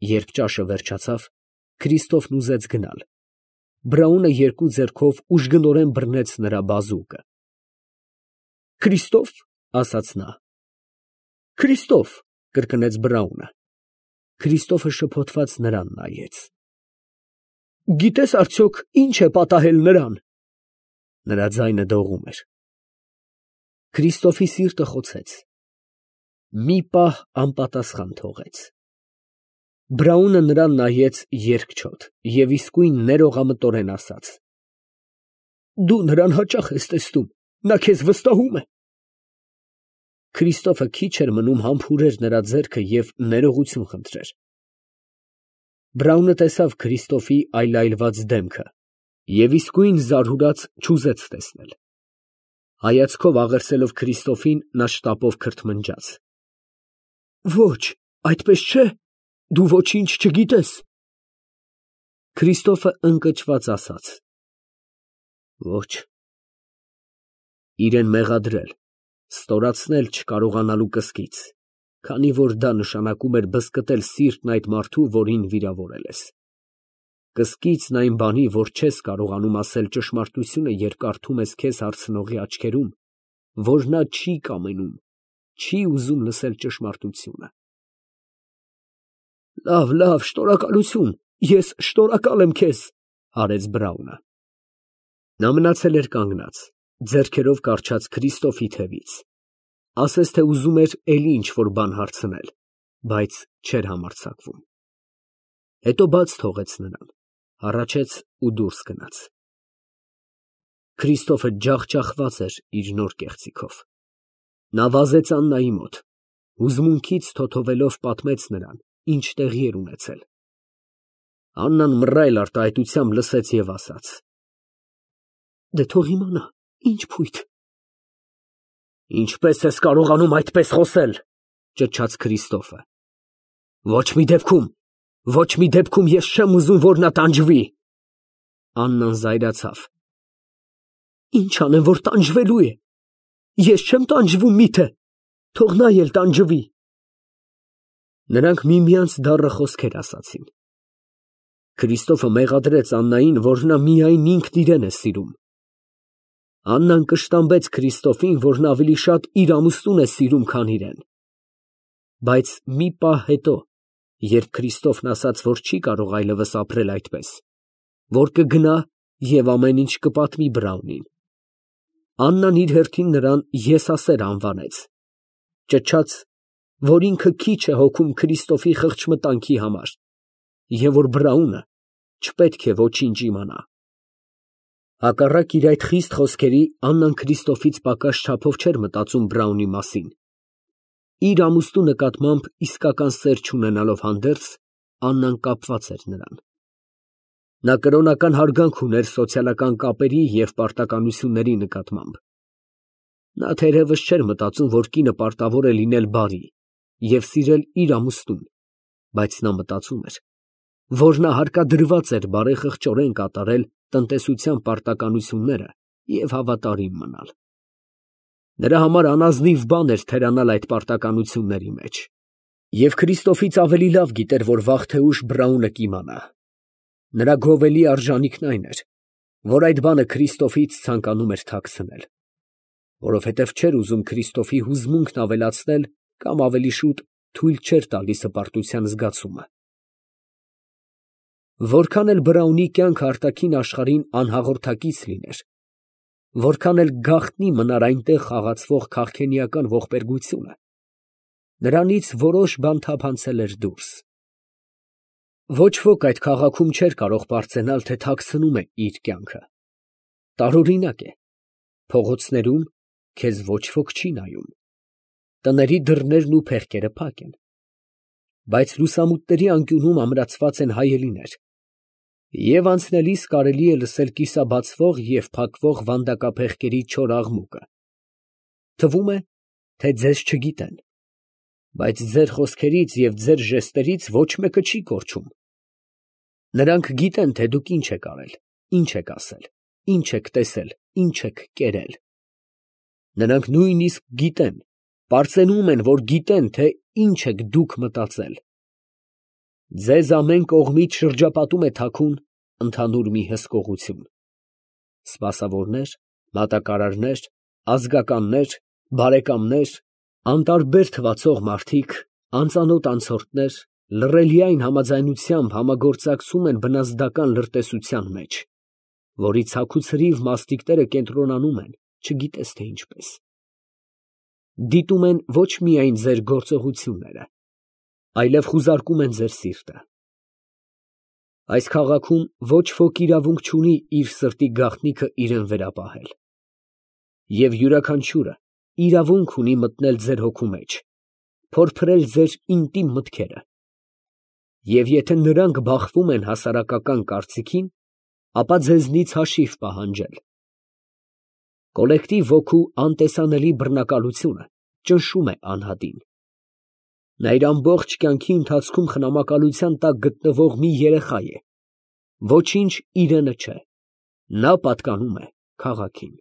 Երբ ճաշը վերջացավ, Քրիստոֆն ուզեց գնալ։ Բրաունը երկու ձեռքով ուժգնորեն բռնեց նրա բազուկը։ «Քրիստո՛ֆ», ասաց նա։ «Քրիստո՛ֆ», կրկնեց Բրաունը։ Քրիստոֆը շփոթված նրան նայեց։ «Գիտես արդյոք ինչ է պատահել նրան»։ Նրա ձայնը դողում էր։ Քրիստոֆի սիրտը խոցեց։ Մի պահ անպատասխան թողեց։ Բրաունը նրան նայեց երկչոտ և իսկույն ներողամտորեն ասաց. «Դու նրան հաճախ ես տեսնում, նա քեզ վստահում է»։ Քրիստոֆը քիչ էր մնում համբուրեր նրա ձեռքը և ներողություն խնդրեր։ Բրաունը տեսավ Քրիստոֆի այլայլված դեմքը և իսկույն զարհուրած չուզեց տեսնել։ Հայացքով աղերսելով Քրիստոֆին, նա շտապով քրթմնջաց. «Ոչ, այդպես չէ, դու ոչինչ չգիտես»։ Քրիստոֆը ընկճված ասաց. «Ոչ»։ Իրեն մեղադրել, ստորացնել չկարողանալու կսկիծ, քանի որ դա նշանակում էր բզկտել սիրտն այդ մարդու, որին վիրավորել ես։ Կսկիծն այն բանի, որ չես կարողանում ասել ճշմարտությունը, երբ կարդում ես քեզ հարցնողի աչքերում, որ նա չի կամենում, չի ուզում լսել ճշմարտությունը։ Լավ, շնորհակալություն, ես շնորհակալ եմ քեզ, արեց Բրաունը։ Նա մնացել էր կանգնած, ձեռքերով կառչած Քրիստոֆի թևից, ասես թե ուզում էր էլի ինչ֊որ բան հարցնել, բայց չէր համարձակվում։ Հետո բաց թողեց նրան, հառաչեց ու դուրս գնաց։ Քրիստոֆը ջախջախված էր իր նոր կեղծիքով։ Նա վազեց Աննայի մոտ, հուզմունքից թոթովելով պատմեց նրան, ինչ տեղի էր ունեցել։ Աննան մռայլ արտահայտությամբ լսեց և ասաց. «Դե թող իմանա, ինչ փույթ»։ «Ինչպես ես կարողանում այդպես խոսել», ճչաց Քրիստոֆը։ Ոչ մի դեպքում ես չեմ ուզում, որ նա տանջվի։ Աննան զայրացավ։ «Ինչ անեմ, որ տանջվելու է։ Ես չեմ տանջվում միթե, թող նա էլ տանջվի»։ Նրանք միմյանց դառը խոսքեր ասացին։ Քրիստոֆը մեղադրեց Աննային, որ նա միայն ինքն իրեն է սիրում։ Աննան կշտամբեց Քրիստոֆին, որ նա ավելի շատ իր ամուսնուն է սիրում, քան իրեն։ Բայց մի պահ հետո, երբ Քրիստոֆն ասաց, որ չի կարող այլևս ապրել այդպես, որ կգնա և ամեն ինչ կպատմի Բրաունին, Աննան իր հերթին նրան եսասեր անվանեց, ճչաց, որ ինքը քիչ է հոգում Քրիստոֆի խղճմտանքի համար և որ Բրաունը չպետք է ոչինչ իմանա։ Հակառակ իր այդ խիստ խոսքերի, Աննան Քրիստոֆից պակաս չափով չէր մտածում Բրաունի մասին։ Իր ամուսնու նկատմամբ իսկական սեր չունենալով հանդերձ, Աննան կապված էր նրան։ Նա կրոնական հարգանք ուներ սոցիալական կապերի և պարտականությունների նկատմամբ։ Նա թերևս չէր մտածում, որ կինը պարտավոր է լինել բարի և սիրել իր ամուսնուն, բայց նա մտածում էր, որ նա հարկադրված էր բարեխղճորեն կատարել տնտեսության պարտականությունները և հավատարիմ մնալ։ Նրա համար անազնիվ բան էր թերանալ այդ պարտականությունների մեջ։ Եվ Քրիստոֆից ավելի լավ գիտեր, որ վաղ թե ուշ Բրաունը կիմանա։ Նրա գովելի արժանիքն այն էր, որ այդ բանը Քրիստոֆից ցանկանում էր թաքցնել, որովհետև չէր ուզում Քրիստոֆի հուզմունքն ավելացնել կամ ավելի շուտ թույլ չէր տալիս հպարտության զգացումը։ Որքան էլ Բրաունի կյանքը արտաքին աշխարհին անհաղորդակից լիներ, որքան էլ գաղտնի մնար այնտեղ խաղացվող քաղքենիական ողբերգությունը, նրանից որոշ բան թափանցել էր դուրս։ Ոչ ոք այդ քաղաքում չէր կարող պարծենալ, թե թաքցնում է իր կյանքը։ Տարօրինակ է, փողոցներում քեզ ոչ ոք չի նայում, տների դռներն ու փեղկերը փակ են, բայց լուսամուտների անկյունում ամրացված են հայելիներ, և անցնելիս կարելի է լսել կիսաբացվող և փակվող վանդակափեղկերի չոր աղմուկը։ Թվում է, թե ձեզ չգիտեն, բայց ձեր խոսքերից և ձեր ժեստերից ոչ մեկը չի կորչում։ Նրանք գիտեն, թե դուք ինչ եք արել, ինչ եք ասել, ինչ եք տեսել, ինչ եք կերել։ Նրանք նույնիսկ գիտեն, պարծենում են, որ գիտեն, թե ինչ եք դուք մտածել։ Ձեզ ամեն կողմից շրջապատում է թաքուն ընդհանուր մի հսկողություն. սպասավորներ, մատակարարներ, ազգականներ, բարեկամներ, անտարբեր թվացող մարդիկ, անծանոթ անցորդներ, լռելիայն համաձայնությամբ համագործակցում են բնազդական լրտեսության մեջ, որի ցաքուցրիվ մասնիկները կենտրոնանում են, չգիտես թե ինչպես. դիտում են ոչ միայն ձեր գործողությունները, այլև խուզարկում են ձեր սիրտը։ Այս քաղաքում ոչ ոք իրավունք չունի իր սրտի գաղտնիքը իրեն վերապահել, և յուրաքանչյուրը իրավունք ունի մտնել ձեր հոգու մեջ, փորփրել ձեր ինտիմ մտքերը, և եթե նրանք բախվում են հասարակական կարծիքին, ապա ձեզնից հաշիվ պահանջել։ Կոլեկտիվ ոգու անտեսանելի բռնակալությունը ճնշում է անհատին։ Նա իր ամբողջ կյանքի ընթացքում խնամակալության տակ գտնվող մի երեխա է, ոչինչ իրենը չէ, նա պատկանում է քաղաքին։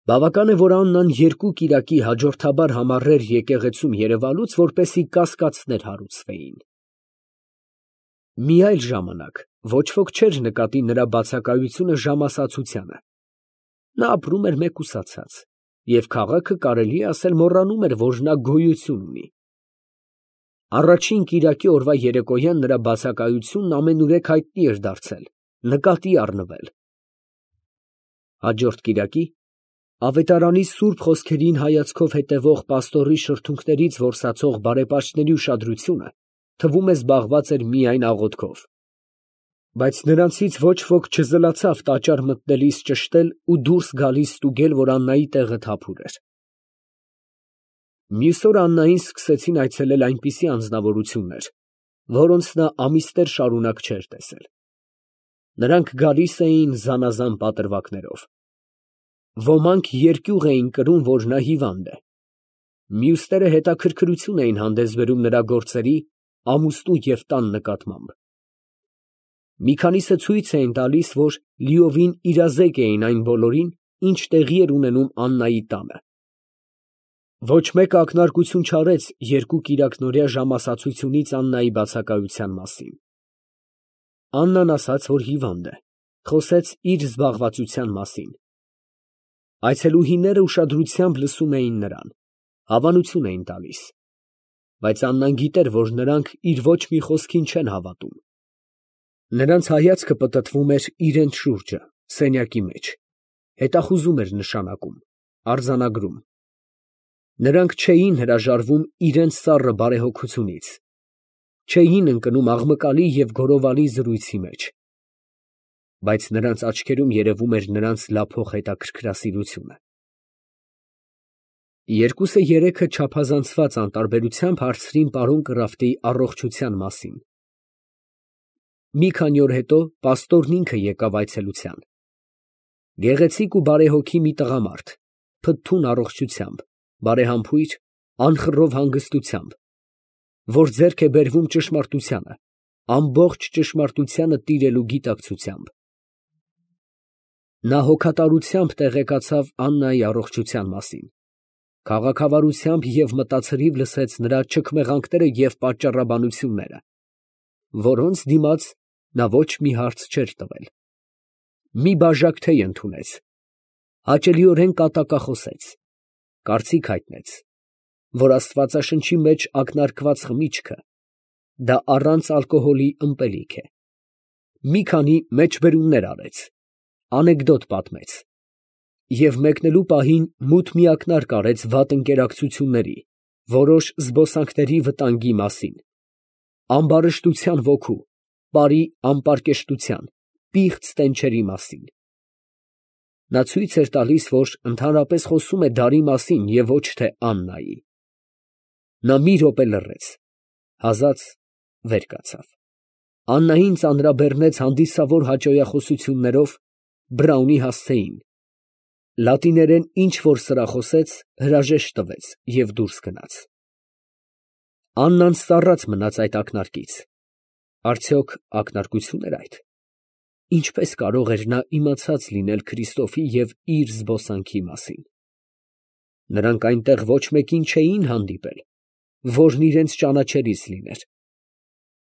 Բավական է, որ Աննան երկու կիրակի հաջորդաբար համառեր եկեղեցում երևալուց, որպեսզի կասկածներ հարուցվեին։ Մի այլ ժամանակ ոչ ոք չէր նկատի նրա բացակայությունը ժամասացությանը։ Նա ապրում էր մեկուսացած, և քաղաքը կարելի է ասել մոռանում էր, որ նա գոյություն ունի։ Առաջին կիրակի օրվա երեկոյան նրա բացակայությունն ամենուրեք հայտնի էր դարձել, նկատի առնվել։ Հաջորդ կիրակի ավետարանի սուրբ խոսքերին հայացքով հետևող պաստորի շրթունքներից որսացող բարեպաշտների ուշադրությունը թվում է զբաղված էր միայն աղոթքով, բայց նրանցից ոչ ոք չզլացավ տաճար մտնելիս ճշտել ու դուրս գալիս ստուգել, որ Աննայի տեղը թափուր էր։ Մյուս օր Աննային սկսեցին այցելել այնպիսի անձնավորություններ, որոնց նա ամիսներ շարունակ չէր տեսել։ Նրանք գալիս էին զանազան պատրվակներով։ Ոմանք երկյուղ էին կրում, որ նա հիվանդ է։ Մյուսները հետաքրքրություն էին հանդես բերում նրա գործերի, ամուսնու և տան նկատմամբ։ Մի քանիսը ցույց էին տալիս, որ լիովին իրազեկ էին այն բոլորին, ինչ տեղի էր ունենում Աննայի տանը։ Ոչ մեկը ակնարկություն չարեց երկու կիրակնօրյա ժամասացությունից Աննայի բացակայության մասին։ Աննան ասաց, որ հիվանդ է, խոսեց իր զբաղվածության մասին։ Այցելուհիները ուշադրությամբ լսում էին նրան, հավանություն էին տալիս, բայց Աննան գիտեր, որ նրանք իր ոչ մի խոսքին չեն հավատում։ Նրանց հայացքը պտտվում էր իրենց շուրջը, սենյակի մեջ, հետախուզում էր նշանակում, արձանագրում։ Նրանք չէին հրաժարվում իրենց սառը բարեհոգությունից, չէին ընկնում աղմկալի և գորովալի զրույցի մեջ, բայց նրանց աչքերում երևում էր նրանց լափող հետաքրքրասիրությունը։ Երկուսը երեքը չափազանցված անտարբերությամբ հարցրին պարոն Կրաֆտի առողջության մասին։ Մի քանի օր հետո պաստորն ինքը եկավ այցելության։ Գեղեցիկ ու բարեհոգի մի տղամարդ, փթթուն առողջությամբ, բարեհամբույր, անխռով հանգստությամբ, որ ձեռք է բերվում ճշմարտությանը, ամբողջ ճշմարտությանը տիրելու գիտակցությամբ։ Նա հոգատարությամբ տեղեկացավ Աննայի առողջության մասին, քաղաքավարությամբ և մտածրիվ լսեց նրա չքմեղանքները և պատճառաբանությունները, որոնց դիմաց նա ոչ մի հարց չէր տվել։ Մի բաժակ թեյ ընդունեց, հաճելիորեն կատակախոսեց, կարծիք հայտնեց, որ Աստվածաշնչի մեջ ակնարկված խմիչքը դա առանց ալկոհոլի ըմպելիք է։ Մի քանի մեջբերումներ արեց, անեկդոտ պատմեց և մեկնելու պահին մութ մի ակնարկ արեց վատ ընկերակցությունների, որոշ զբոսանքների վտանգի մասին, ամբարշտության ոգու, պարի անպարկեշտության, պիղծ տենչերի մասին։ Նա ցույց էր տալիս, որ ընդհանրապես խոսում է դարի մասին և ոչ թե Աննայի։ Նա մի րոպե լռեց, հազաց վեր կացավ։ Աննային ծանրաբեռնեց հանդիսավոր հաճոյախոսություններով Բրաունի հասցեին, լատիներեն ինչ֊որ սրախոսեց, հրաժեշտ տվեց և դուրս գնաց։ Աննան սառած մնաց այդ ակնարկից։ Արդյոք ակնարկություն էր այդ։ Ինչպես կարող էր նա իմացած լինել Քրիստոֆի և իր զբոսանքի մասին։ Նրանք այնտեղ ոչ մեկին չէին հանդիպել, որն իրենց ճանաչելիս լիներ։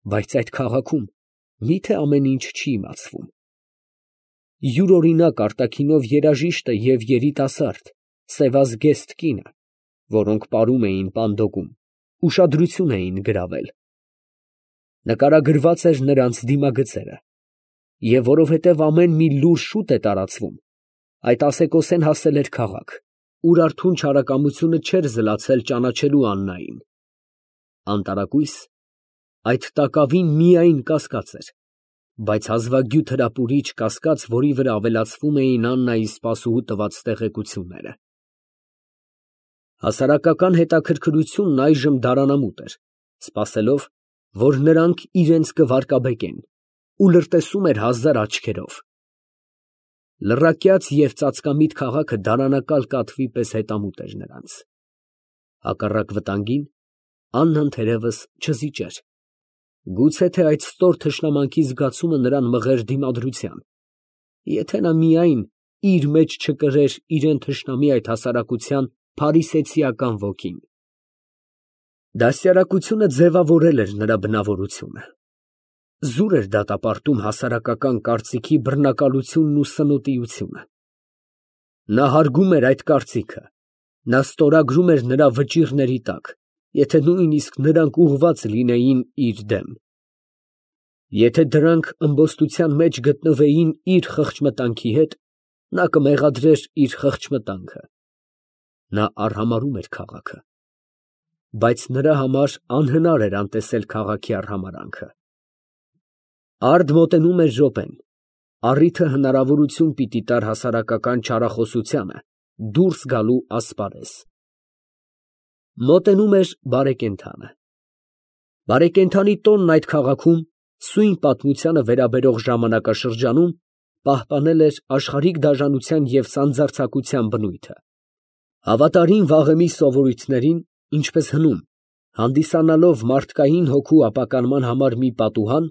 բայց այդ քաղաքում միթե ամեն ինչ չի իմացվում։ Յուրօրինակ արտաքինով երաժիշտը և երիտասարդ, սևազգեստ կինը, որոնք պարում էին պանդոկում, ուշադրություն էին գրավել։ Նկարագրված էր նրանց դիմագծերը, և որովհետև ամեն մի լուր շուտ է տարածվում, այդ ասեկոսեն հասել էր քաղաք, ուր արթուն չարակամությունը չէր զլացել ճանաչելու Աննային։ Անտարակույս, այդ տակավին միայն կասկած էր, բայց հազվագյուտ հրապուրիչ կասկած, որի վրա ավելացվում էին Աննայի սպասուհու տված տեղեկությունները։ Հասարակական հետաքրքրությունն այժմ դարանամուտ էր, սպասելով, որ նրանք իրենց կվարկաբեկեն, ու լրտեսում էր հազար աչքերով։ Լռակյաց և ծածկամիտ քաղաքը դարանակալ կատվի պես հետամուտ էր նրանց։ Հակառակ վտանգին, Աննան թերևս չզիջեր։ Գուցե թե այդ ստոր թշնամանքի զգացումը նրան մղեր դիմադրության, եթե նա միայն իր մեջ չկրեր իրան թշնամի այդ հասարակության փարիսեցիական ոգին։ Դաստիարակությունը ձևավորել էր նրա բնավորությունը։ Զուր էր դատապարտում հասարակական կարծիքի բռնակալությունն ու սնոտիությունը։ Նա հարգում էր այդ կարծիքը, նա ստորագրում էր նրա վճիռների տակ, եթե նույնիսկ նրանք ուղղված լինեին իր դեմ։ Եթե դրանք ըմբոստության մեջ գտնվեին իր խղճմտանքի հետ, նա կմեղադրեր իր խղճմտանքը։ Նա արհամարհում էր քաղաքը, բայց նրա համար անհնար էր անտեսել քաղաքի արհամարհանքը։ Արդ մոտենում էր րոպեն, առիթը հնարավորություն պիտի տար հասարակական չարախոսությանը դուրս գալու ասպարեզ։ Մոտենում էր բարեկենդանը։ Բարեկենդանի տոնն այդ քաղաքում, սույն պատմությանը վերաբերող ժամանակաշրջանում, պահպանել էր աշխարհիկ դաժանության և սանձարձակության բնույթը։ Հավատարիմ վաղեմի սովորույթներին, ինչպես հնում, հանդիսանալով մարդկային հոգու ապականման համար մի պատուհան,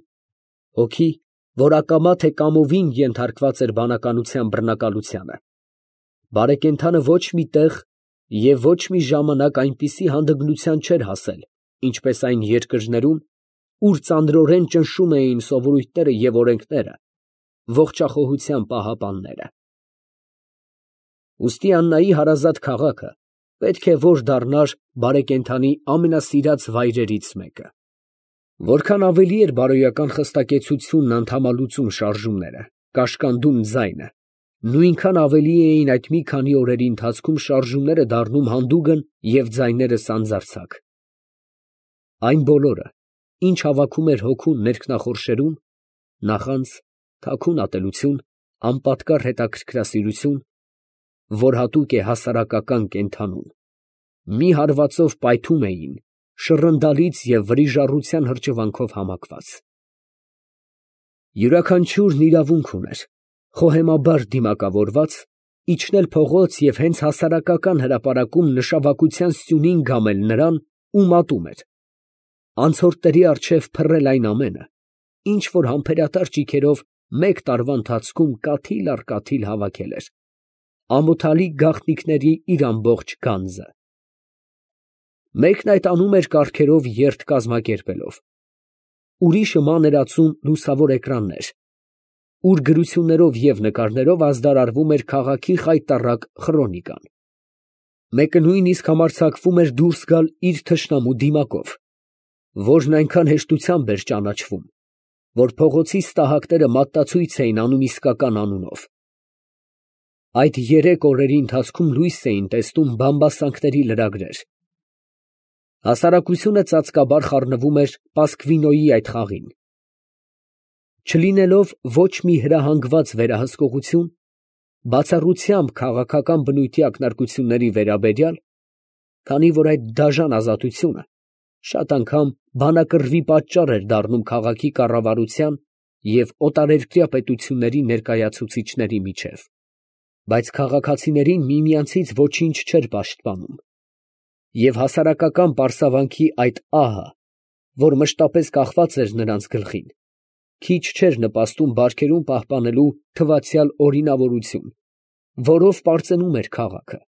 հոգի, որ ակամա թե կամովին ենթարկված էր բանականության բռնակալությանը, բարեկենդանը ոչ մի տեղ և ոչ մի ժամանակ այնպիսի հանդգնության չէր հասել, ինչպես այն երկրներում, ուր ծանրորեն ճնշում էին սովորույթները և օրենքները, ողջախոհության պահապանները։ Ուստի Աննայի հարազատ քաղաքը պետք է որ դառնար բարեկենդանի ամենասիրած վայրերից մեկը։ Որքան ավելի էր բարոյական խստակեցությունն անդամալուծում շարժումները, կաշկանդում ձայնը, նույնքան ավելի էին այդ մի քանի օրերի ընթացքում շարժումները դառնում հանդուգն և ձայները սանձարձակ։ Այն բոլորը, ինչ հավաքում էր հոգուն ներքնախորշերում, նախանձ, թաքուն ատելություն, անպատկառ հետաքրքրասիրություն, որ հատուկ է հասարակական կենդանուն, մի հարվածով պայթում էին, շռնդալից և վրիժառության հրճվանքով համակված։ Յուրաքանչյուրն իրավունք ուներ, խոհեմաբար դիմակավորված, իջնել փողոց և հենց հասարակական հրապարակում նշավակության սյունին գամել նրան, ում ատում էր, անցորդների առջև փռել այն ամենը, ինչ որ համբերատար ճիգերով մեկ տարվա ընթացքում կաթիլ առ կաթիլ հավաքել էր, ամոթալի գաղտնիքների իր ամբողջ գանձը։ Մեկն այդ անում էր կառքերով երթ կազմակերպելով, ուրիշը մանրացում լուսավոր էկրաններ, ուր գրություններով և նկարներով ազդարարվում էր քաղաքի խայտառակ խրոնիկան։ Մեկը նույնիսկ համարձակվում էր դուրս գալ իր թշնամու դիմակով, որն այնքան հեշտությամբ էր ճանաչվում, որ փողոցի ստահակները մատնացույց էին անում իսկական անունով։ Այդ երեք օրերի ընթացքում լույս էին տեսնում բամբասանքների լրագրեր։ Հասարակությունը ծածկաբար խառնվում էր Պասկվինոյի այդ խաղին։ Չլինելով ոչ մի հրահանգված վերահսկողություն, բացառությամբ քաղաքական բնույթի ակնարկությունների վերաբերյալ, քանի որ այդ դաժան ազատությունը շատ անգամ բանակռվի պատճառ էր դառնում քաղաքի կառավարության և օտարերկրյա պետությունների ներկայացուցիչների միջև, բայց քաղաքացիներին միմյանցից ոչինչ չէր պաշտպանում, և հասարակական պարսավանքի այդ ահը, որ մշտապես կախված էր նրանց գլխին, քիչ չէր նպաստում բարքերում պահպանելու թվացյալ օրինավորություն, որով պարծենում էր քաղաքը։